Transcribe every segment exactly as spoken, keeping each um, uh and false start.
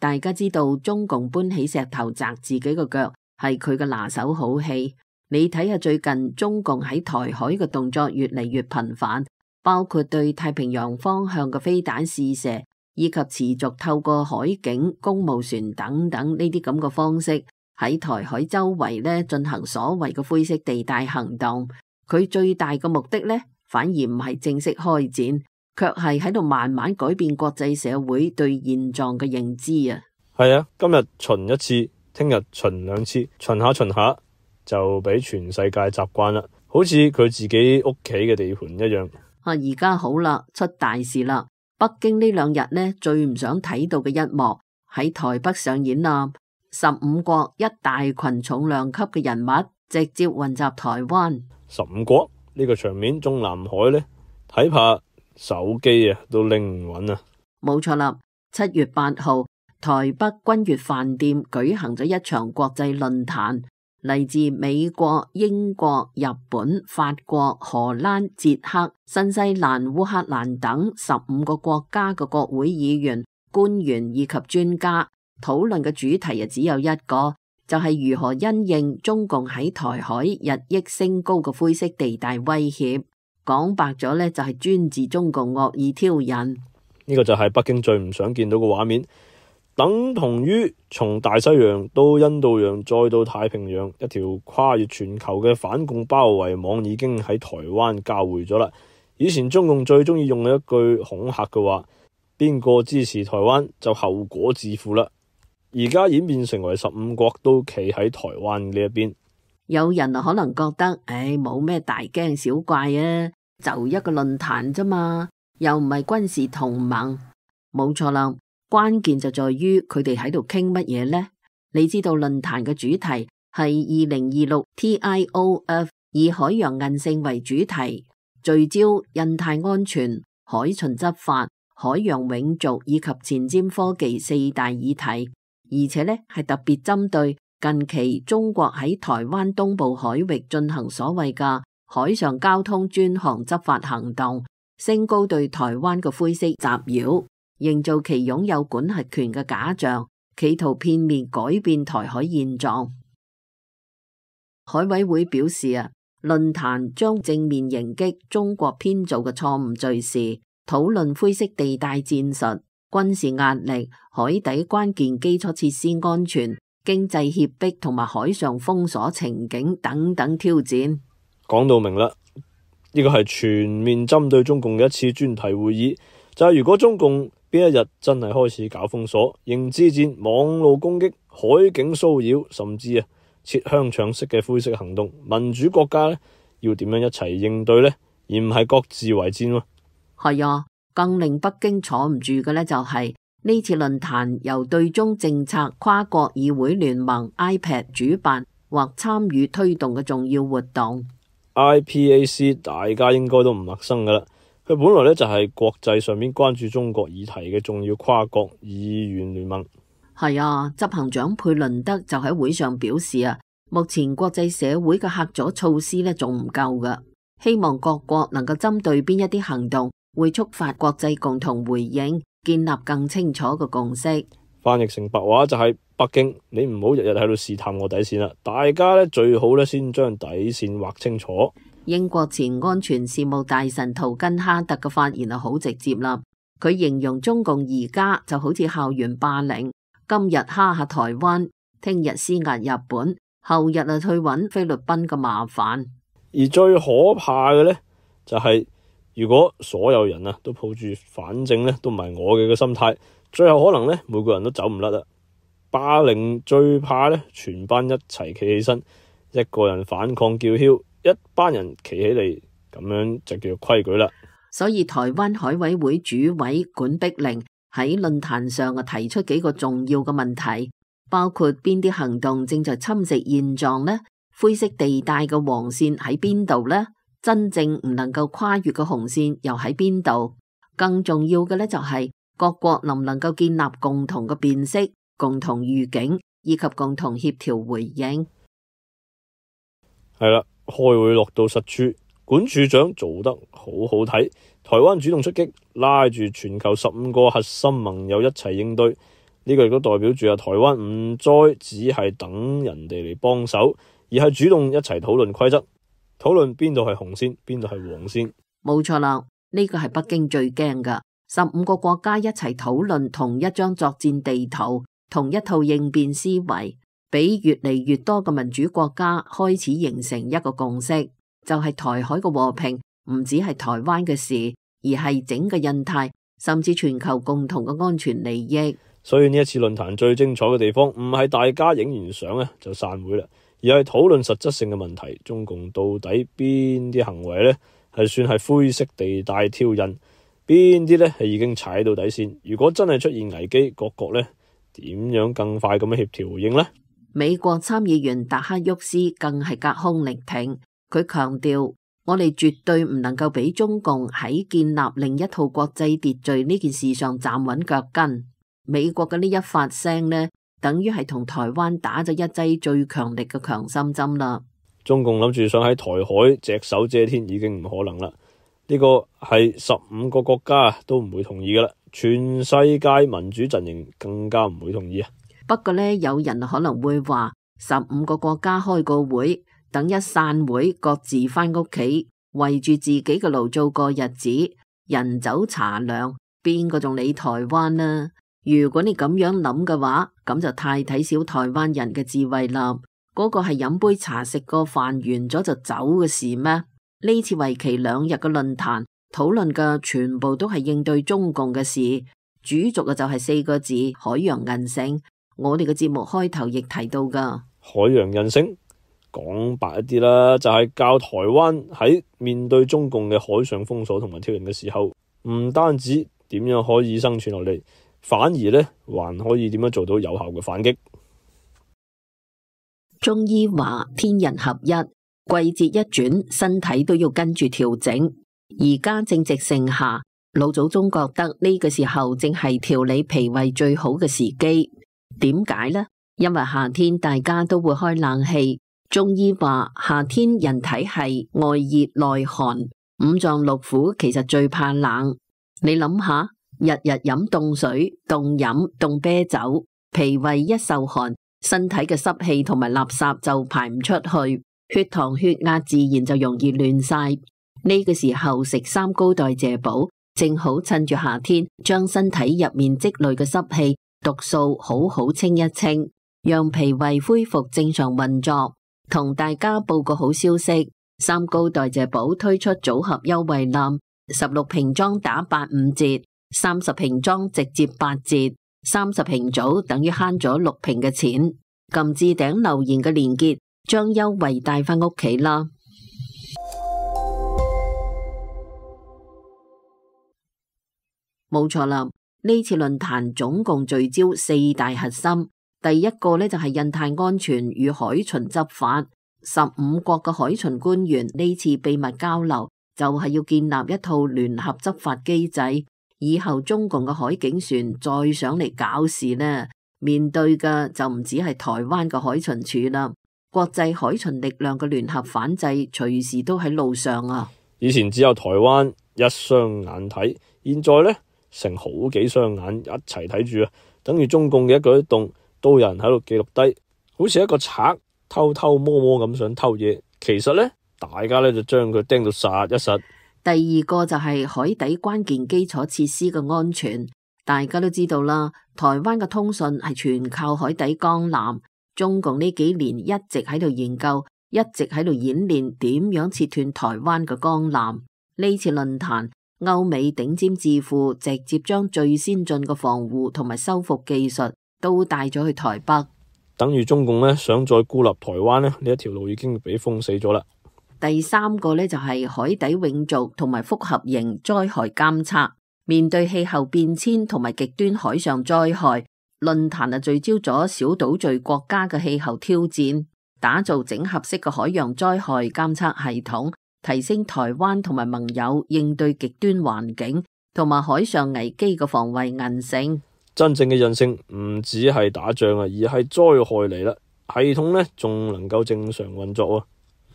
大家知道中共搬起石頭砸自己個腳係佢嘅拿手好戲。你睇下最近中共喺台海嘅動作越嚟越頻繁，包括對太平洋方向嘅飛彈試射，以及持續透過海警、公務船等等呢啲咁嘅方式喺台海周圍咧進行所謂嘅灰色地帶行動。佢最大嘅目的咧，反而唔係正式開戰，卻係喺度慢慢改變國際社會對現狀嘅認知啊。係啊，今日巡一次，聽日巡兩次，巡下巡下就俾全世界習慣啦，好似佢自己屋企嘅地盤一樣。啊，而家好啦，出大事啦！北京呢兩日呢最唔想睇到嘅一幕喺台北上演啦，十五國一大群重量級嘅人物直接雲集台灣。十五國呢個場面中南海呢，睇怕手機啊都拎唔穩啊！冇錯啦，七月八號，台北君悅飯店舉行咗一場國際論壇，嚟自美國、英國、日本、法國、荷蘭、捷克、新西蘭、烏克蘭等十五個國家嘅國會議員、官員以及專家，討論嘅主題啊只有一個，就係如何因應中共喺台海日益升高嘅灰色地帶威脅。講白咗呢，就係專治中共惡意挑釁。呢個就係北京最唔想見到嘅畫面，等同於從大西洋到印度洋再到太平洋，一條跨越全球嘅反共包圍網已經喺台灣交匯咗啦。以前中共最中意用嘅一句恐嚇嘅話，邊個支持台灣就後果自負啦。而家演變成為十五國都企喺台灣呢一邊。有人啊可能覺得，唉，冇咩大驚小怪啊，就一個論壇啫嘛，又唔係軍事同盟。冇錯啦，關鍵就在於佢哋喺度傾乜嘢呢？你知道論壇嘅主題係二零二六 T I O F， 以海洋韌性為主題，聚焦印太安全、海巡執法、海洋永續以及前瞻科技四大議題，而且呢係特別針對近期中國喺台灣東部海域進行所謂嘅海上交通專項執法行動，升高對台灣嘅灰色襲擾，營造其擁有管轄權嘅假象，企圖片面改變台海現狀。海委會表示啊，論壇將正面迎擊中國編造嘅錯誤敘事，討論灰色地帶戰術、軍事壓力、海底關鍵基礎設施安全、經濟脅迫同埋海上封鎖情景等等挑戰。講到明啦，呢個係全面針對中共嘅一次專題會議。就係如果中共邊一日真係開始搞封鎖、認知戰、網路攻擊、海警騷擾，甚至啊切香腸式嘅灰色行動，民主國家呢要點樣一齊應對呢？而唔係各自為戰喎。係啊，更令北京坐唔住嘅呢，就係呢次論壇由對中政策跨國議會聯盟 I P A D 主辦或參與推動嘅重要活動。I P A C 大家應該都唔陌生噶啦，佢本來咧就係國際上面關注中國議題嘅重要跨國議員聯盟。係啊，執行長佩倫德就喺會上表示啊，目前國際社會嘅嚇阻措施咧仲唔夠噶，希望各國能夠針對邊一啲行動會觸發國際共同回應，建立更清楚嘅共識。翻譯成白話就係北京，你唔好日日喺度試探我底線啦，大家咧最好咧先將底線劃清楚。英國前安全事務大臣圖根哈特嘅發言係好直接啦，佢形容中共而家就好似校園霸凌，今日蝦下台灣，聽日施壓日本，後日啊去揾菲律賓嘅麻煩。而最可怕嘅咧就係、是、如果所有人啊都抱住反正咧都唔係我嘅嘅心態，最後可能咧每個人都走唔甩啦。霸凌最怕咧全班一齊企起身，一個人反抗叫囂，一班人企起嚟，咁樣就叫做規矩啦。所以台灣海委會主委管碧玲喺論壇上啊提出幾個重要嘅問題，包括邊啲行動正在侵蝕現狀呢？灰色地帶嘅黃線喺邊度呢？真正唔能夠跨越嘅紅線又喺邊度？更重要嘅咧就係各國能唔能夠建立共同嘅辨識、共同預警以及共同協調回應。係啦，開會落到實處，管處長做得好好睇。台灣主動出擊，拉住全球十五個核心盟友一齊應對，呢個亦都代表住啊，台灣唔再只係等人哋嚟幫手，而係主動一齊討論規則，討論邊度係紅線，邊度係黃線。冇錯啦，呢個係北京最驚噶，十五個國家一齊討論同一張作戰地圖，同一套應變思維，俾越嚟越多嘅民主國家開始形成一個共識，就係台海嘅和平唔只係台灣嘅事，而係整個印太甚至全球共同嘅安全利益。所以呢一次論壇最精彩嘅地方，唔係大家影完相咧就散會啦，而係討論實質性嘅問題。中共到底邊啲行為咧係算係灰色地帶挑釁，邊啲咧係已經踩到底線？如果真係出現危機，各國咧點樣更快咁樣協調回應呢？美國參議員達克沃斯更係隔空力挺，佢強調我哋絕對唔能夠俾中共喺建立另一套國際秩序呢件事上站穩腳跟。美國嘅呢一發聲呢，等於係同台灣打咗一劑最強力嘅強心針啦。中共諗住想喺台海隻手遮天已經唔可能啦，呢個係十五個國家都唔會同意噶啦，全世界民主陣營更加唔會同意啊。不過呢，有人可能會話，十五個國家開個會，等一散會各自返屋企，圍住自己嘅爐做個日子，人走茶涼，邊個仲理台灣呢？如果你咁樣諗嘅話，咁就太睇小台灣人嘅智慧啦。嗰個係飲杯茶食個飯完咗就走嘅事咩？呢次為期兩日嘅論壇討論嘅全部都係應對中共嘅事，主軸嘅就係四個字：海洋韌性。我哋嘅節目開頭亦提到噶海洋韌性，講白一啲啦，就係教台灣喺面對中共嘅海上封鎖同埋挑釁嘅時候，唔單止點樣可以生存落嚟，反而咧，還可以點樣做到有效嘅反擊？中醫話天人合一，季節一轉，身體都要跟住調整。而家正值盛夏，老祖宗覺得呢個時候正係調理脾胃最好嘅時機。點解呢？因為夏天大家都會開冷氣。中醫話夏天人體係外熱內寒，五臟六腑其實最怕冷。你諗下。日日飲凍水、凍飲、凍啤酒，脾胃一受寒，身體嘅濕氣同埋垃圾就排唔出去，血糖血壓自然就容易亂晒。呢個時候食三高代謝寶，正好趁住夏天，將身體入面積累嘅濕氣、毒素好好清一清，讓脾胃恢復正常運作。同大家報個好消息，三高代謝寶推出組合優惠攬，十六瓶裝打八五折。三十瓶裝直接八折，三十瓶組等於慳咗六瓶嘅錢。撳置頂留言嘅連結，將優惠帶返屋企啦。冇錯啦，呢次論壇總共聚焦四大核心。第一個呢，就係印太安全與海巡執法，十五國嘅海巡官員呢次秘密交流，就係要建立一套聯合執法機制。以後中共嘅海警船再上嚟搞事呢，面對嘅就唔止係台灣嘅海巡署啦，國際海巡力量嘅聯合反制隨時都喺路上啊！以前只有台灣一雙眼睇，現在呢，成好幾雙眼一齊睇住啊！等於中共嘅一舉一動都有人喺度記錄低，好似一個賊偷偷摸摸咁想偷嘢，其實呢，大家呢就將佢盯到實一實。第二個就係海底關鍵基礎設施嘅安全，大家都知道啦。台灣嘅通訊係全靠海底江纜，中共呢幾年一直喺度研究，一直喺度演練點樣切斷台灣嘅江纜。呢次論壇，歐美頂尖智庫直接將最先進嘅防護同埋修復技術都帶咗去台北，等於中共呢想再孤立台灣呢，呢一條路已經俾封死咗啦。第三個呢，就係海底永續同埋複合型災害監測。面對氣候變遷同埋極端海上災害，論壇啊聚焦咗小島嶼國家嘅氣候挑戰，打造整合式嘅海洋災害監測系統，提升台灣同埋盟友應對極端環境同埋海上危機嘅防衛韌性。真正嘅韌性唔只係打仗啊，而係災害嚟啦，系統呢仲能夠正常運作啊。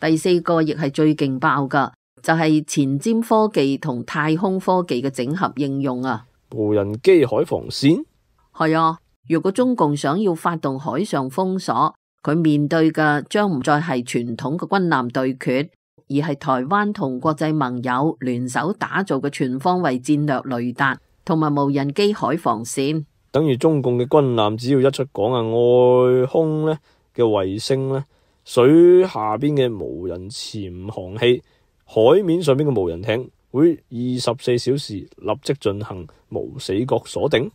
第四個亦係最勁爆噶，就係前瞻科技同太空科技嘅整合應用啊！無人機海防線？係啊，如果中共想要發動海上封鎖，佢面對嘅將唔再係傳統嘅軍艦對決，而係台灣同國際盟友聯手打造嘅全方位戰略雷達同埋無人機海防線。等於中共嘅軍艦只要一出港啊，外空咧嘅衛星咧，水下邊嘅無人潛航器，海面上邊嘅無人艇，會二十四小時立即進行無死角鎖定。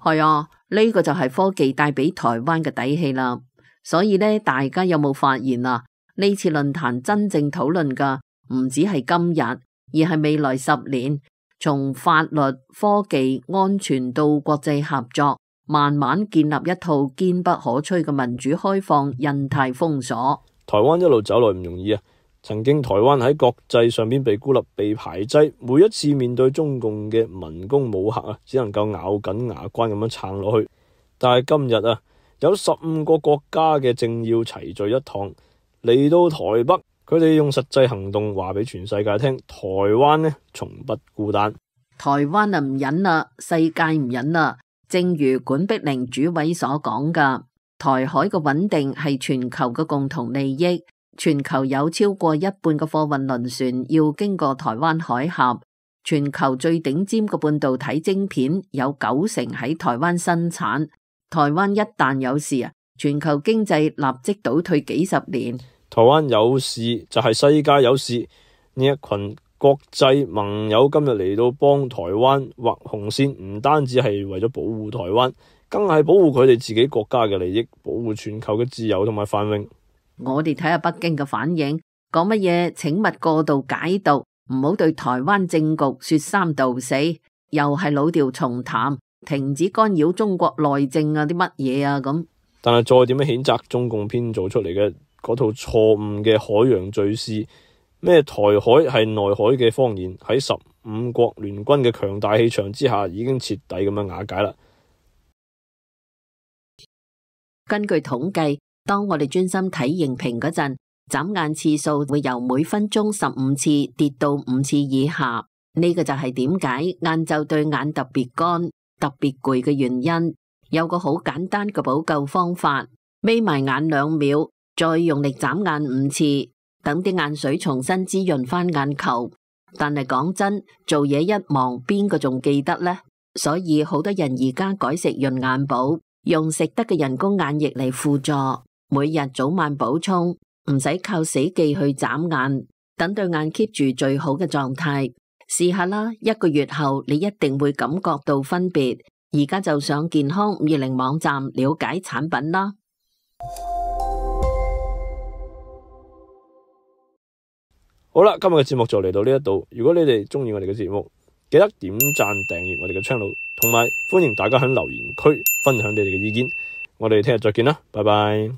係啊，呢個就係科技帶俾台灣嘅底氣啦。所以呢，大家有冇發現啊？呢次論壇真正討論嘅唔止係今日，而係未來十年，從法律、科技、安全到國際合作，慢慢建立一套堅不可摧嘅民主開放印太封鎖。台灣一路走來唔容易啊！曾經台灣喺國際上邊被孤立、被排擠，每一次面對中共嘅文攻武嚇啊，只能夠咬緊牙關咁樣撐落去。但係今日啊，有十五個國家嘅政要齊聚一堂嚟到台北，佢哋用實際行動話俾全世界聽，台灣呢從不孤單。台灣啊唔忍啦，世界唔忍啦。正如管碧玲主委所講噶，台海嘅穩定係全球嘅共同利益。全球有超過一半嘅貨運輪船要經過台灣海峽，全球最頂尖嘅半導體晶片有九成喺台灣生產。台灣一旦有事啊，全球經濟立即倒退幾十年。台灣有事就係世界有事，呢一群國際盟友今日嚟到幫台灣畫紅線，唔單止係為咗保護台灣，更係保護佢哋自己國家嘅利益，保護全球嘅自由同埋繁榮。我哋睇下北京嘅反應，講乜嘢？請勿過度解讀，唔好對台灣政局說三道四，又係老調重彈，停止干擾中國內政啊！啲乜嘢啊咁？但係再點樣譴責中共編造出嚟嘅嗰套錯誤嘅海洋敘事，咩台海係內海嘅謊言，喺十五國聯軍嘅強大氣場之下，已經徹底咁樣瓦解啦。根據統計，當我哋專心睇熒屏嗰陣，眨眼次數會由每分鐘十五次跌到五次以下。呢個就係點解晏晝對眼特別乾、特別攰嘅原因。有個好簡單嘅補救方法，眯埋眼兩秒，再用力眨眼五次，等啲眼水重新滋潤翻眼球。但係講真，做嘢一忙，邊個仲記得呢？所以好多人而家改食潤眼寶，用食得嘅人工眼液嚟輔助。每日早晚補充，唔使靠死記去眨眼，等對眼 keep 住最好嘅狀態。試下啦，一個月後你一定會感覺到分別。而家就上健康五二零網站了解產品啦。好啦，今日嘅節目就嚟到呢一度。如果你哋中意我哋嘅節目，記得點讚訂閱我哋嘅 channel， 同埋歡迎大家喺留言區分享你哋嘅意見。我哋聽日再見啦，拜拜。